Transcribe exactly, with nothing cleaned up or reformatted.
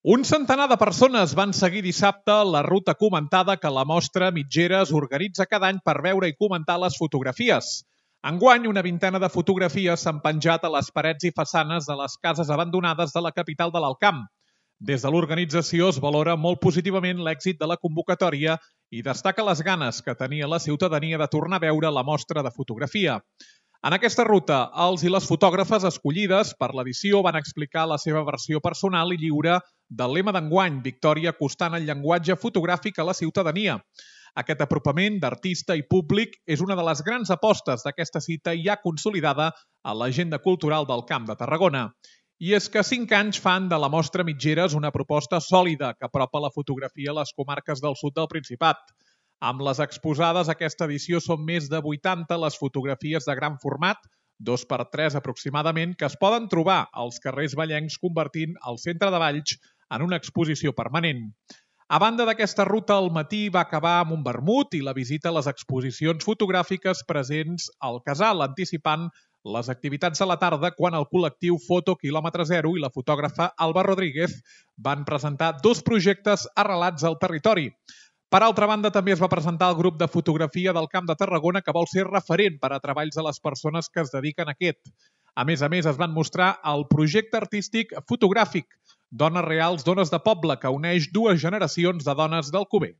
Un centenar de persones van seguir dissabte la ruta comentada que la Mostra Mitgeres organitza cada any per veure i comentar les fotografies. Enguany, una vintena de fotografies s'han penjat a les parets i façanes de les cases abandonades de la capital de l'Alt Camp. Des de l'organització es valora molt positivament l'èxit de la convocatòria i destaca les ganes que tenia la ciutadania de tornar a veure la mostra de fotografia. En aquesta ruta, els i les fotògrafes escollides per l'edició van explicar la seva versió personal i lliure del lema d'enguany, Victòria acostant el llenguatge fotogràfic a la ciutadania. Aquest apropament d'artista i públic és una de les grans apostes d'aquesta cita ja consolidada a l'agenda cultural del Camp de Tarragona. I és que cinc anys fan de la Mostra Mitgeres una proposta sòlida que apropa la fotografia a les comarques del sud del Principat. Amb les exposades, aquesta edició són més de vuitanta les fotografies de gran format, dos per tres aproximadament, que es poden trobar als carrers vallencs convertint el centre de Valls en una exposició permanent. A banda d'aquesta ruta, el matí va acabar amb un vermut i la visita a les exposicions fotogràfiques presents al casal, anticipant les activitats de la tarda quan el col·lectiu Foto Quilòmetre Zero i la fotògrafa Alba Rodríguez van presentar dos projectes arrelats al territori. Per altra banda, també es va presentar el grup de fotografia del Camp de Tarragona que vol ser referent per a treballs de les persones que es dediquen a aquest. A més a més, es van mostrar el projecte artístic fotogràfic Dones Reals, Dones de Poble, que uneix dues generacions de dones del Cover.